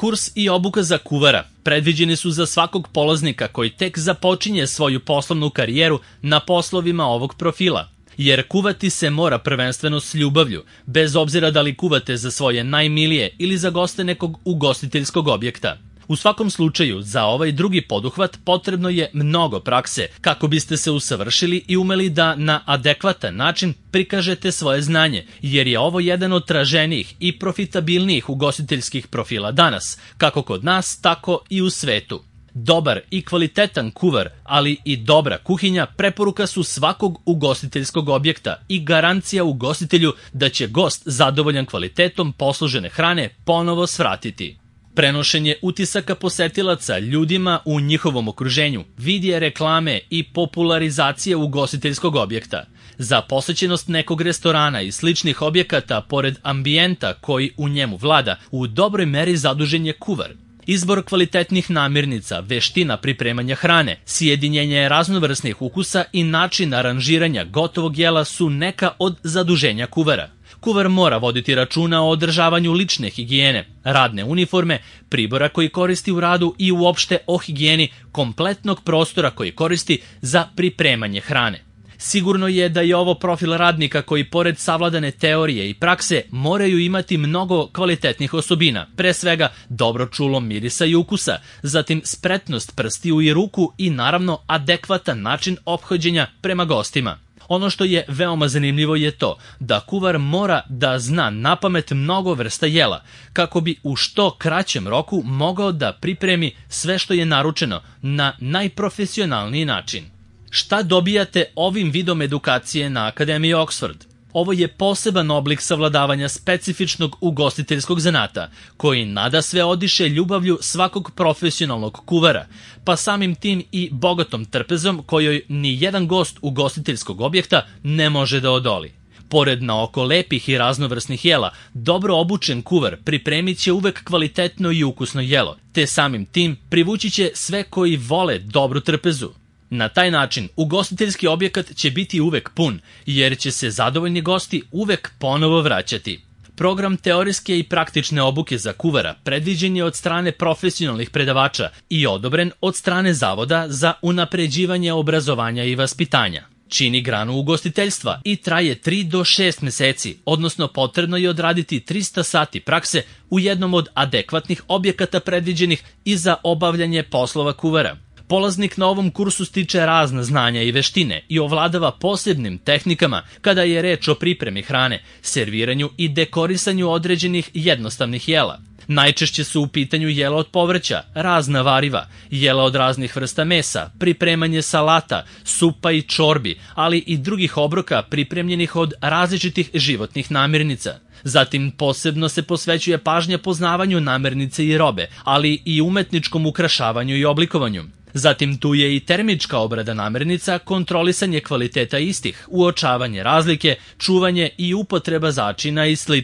Kurs i obuka za kuvara predviđeni su za svakog polaznika koji tek započinje svoju poslovnu karijeru na poslovima ovog profila, jer kuvati se mora prvenstveno s ljubavlju, bez obzira da li kuvate za svoje najmilije ili za goste nekog ugostiteljskog objekta. U svakom slučaju, za ovaj drugi poduhvat potrebno je mnogo prakse kako biste se usavršili i umeli da na adekvatan način prikažete svoje znanje, jer je ovo jedan od traženijih i profitabilnijih ugostiteljskih profila danas, kako kod nas, tako i u svetu. Dobar i kvalitetan kuvar, ali i dobra kuhinja preporuka su svakog ugostiteljskog objekta i garancija ugostitelju da će gost zadovoljan kvalitetom poslužene hrane ponovo svratiti. Prenošenje utisaka posetilaca ljudima u njihovom okruženju, vidje reklame i popularizacija ugostiteljskog objekta. Za posećenost nekog restorana i sličnih objekata, pored ambijenta koji u njemu vlada, u dobroj meri zadužen je kuvar. Izbor kvalitetnih namirnica, veština pripremanja hrane, sjedinjenje raznovrsnih ukusa i način aranžiranja gotovog jela su neka od zaduženja kuvara. Kuvar mora voditi računa o održavanju lične higijene, radne uniforme, pribora koji koristi u radu i uopšte o higijeni kompletnog prostora koji koristi za pripremanje hrane. Sigurno je da je ovo profil radnika koji pored savladane teorije i prakse moraju imati mnogo kvalitetnih osobina, pre svega dobro čulo mirisa i ukusa, zatim spretnost prstiju i ruku i naravno adekvatan način ophođenja prema gostima. Ono što je veoma zanimljivo je to da kuvar mora da zna napamet mnogo vrsta jela, kako bi u što kraćem roku mogao da pripremi sve što je naručeno na najprofesionalniji način. Šta dobijate ovim vidom edukacije na Akademiji Oxford? Ovo je poseban oblik savladavanja specifičnog ugostiteljskog zanata, koji nadasve odiše ljubavlju svakog profesionalnog kuvara, pa samim tim i bogatom trpezom kojoj ni jedan gost ugostiteljskog objekta ne može da odoli. Pored naoko lepih i raznovrsnih jela, dobro obučen kuvar pripremit će uvek kvalitetno i ukusno jelo, te samim tim privući će sve koji vole dobru trpezu. Na taj način ugostiteljski objekat će biti uvek pun, jer će se zadovoljni gosti uvek ponovo vraćati. Program teorijske i praktične obuke za kuvara predviđen je od strane profesionalnih predavača i odobren od strane Zavoda za unapređivanje obrazovanja i vaspitanja. Čini granu ugostiteljstva i traje 3 do 6 meseci, odnosno potrebno je odraditi 300 sati prakse u jednom od adekvatnih objekata predviđenih i za obavljanje poslova kuvara. Polaznik na ovom kursu stiče razna znanja i veštine i ovladava posebnim tehnikama kada je reč o pripremi hrane, serviranju i dekorisanju određenih jednostavnih jela. Najčešće su u pitanju jela od povrća, razna variva, jela od raznih vrsta mesa, pripremanje salata, supa i čorbi, ali i drugih obroka pripremljenih od različitih životnih namirnica. Zatim posebno se posvećuje pažnja poznavanju namirnice i robe, ali i umetničkom ukrašavanju i oblikovanju. Zatim tu je i termička obrada namirnica, kontrolisanje kvaliteta istih, uočavanje razlike, čuvanje i upotreba začina i sl.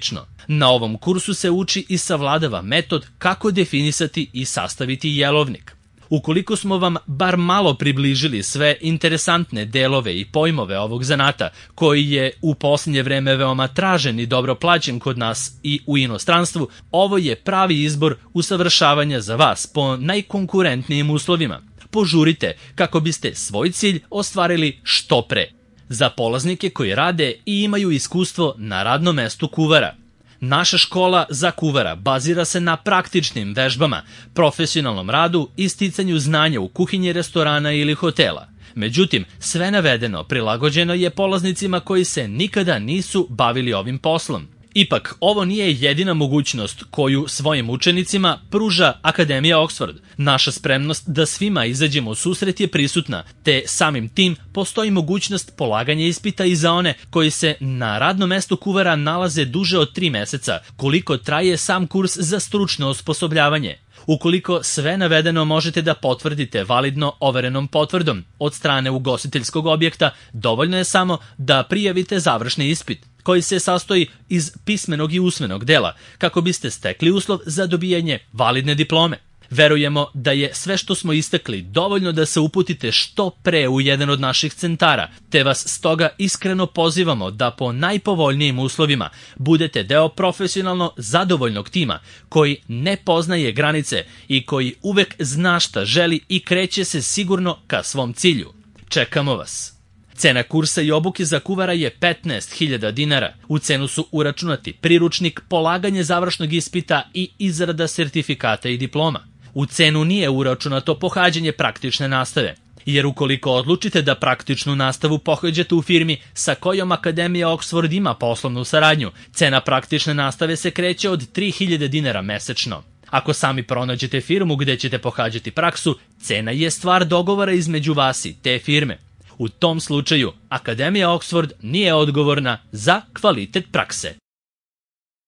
Na ovom kursu se uči i savladava metod kako definisati i sastaviti jelovnik. Ukoliko smo vam bar malo približili sve interesantne delove i pojmove ovog zanata, koji je u posljednje vreme veoma tražen i dobro plaćen kod nas i u inostranstvu, ovo je pravi izbor usavršavanja za vas po najkonkurentnijim uslovima. Požurite kako biste svoj cilj ostvarili što pre. Za polaznike koji rade i imaju iskustvo na radnom mestu kuvara. Naša škola za kuvara bazira se na praktičnim vežbama, profesionalnom radu i sticanju znanja u kuhinji restorana ili hotela. Međutim, sve navedeno prilagođeno je polaznicima koji se nikada nisu bavili ovim poslom. Ipak, ovo nije jedina mogućnost koju svojim učenicima pruža Akademija Oxford. Naša spremnost da svima izađemo u susret je prisutna, te samim tim postoji mogućnost polaganja ispita i za one koji se na radnom mestu kuvara nalaze duže od 3 meseca, koliko traje sam kurs za stručno osposobljavanje. Ukoliko sve navedeno možete da potvrdite validno overenom potvrdom od strane ugostiteljskog objekta, dovoljno je samo da prijavite završni ispit, koji se sastoji iz pismenog i usmenog dela, kako biste stekli uslov za dobijanje validne diplome. Verujemo da je sve što smo istakli dovoljno da se uputite što pre u jedan od naših centara, te vas stoga iskreno pozivamo da po najpovoljnijim uslovima budete deo profesionalno zadovoljnog tima koji ne poznaje granice i koji uvek zna šta želi i kreće se sigurno ka svom cilju. Čekamo vas! Cena kursa i obuke za kuvara je 15.000 dinara. U cenu su uračunati priručnik, polaganje završnog ispita i izrada sertifikata i diploma. U cenu nije uračunato pohađanje praktične nastave, jer ukoliko odlučite da praktičnu nastavu pohađate u firmi sa kojom Akademija Oxford ima poslovnu saradnju, cena praktične nastave se kreće od 3.000 dinara mesečno. Ako sami pronađete firmu gde ćete pohađati praksu, cena je stvar dogovora između vas i te firme. U tom slučaju, Akademija Oxford nije odgovorna za kvalitet prakse.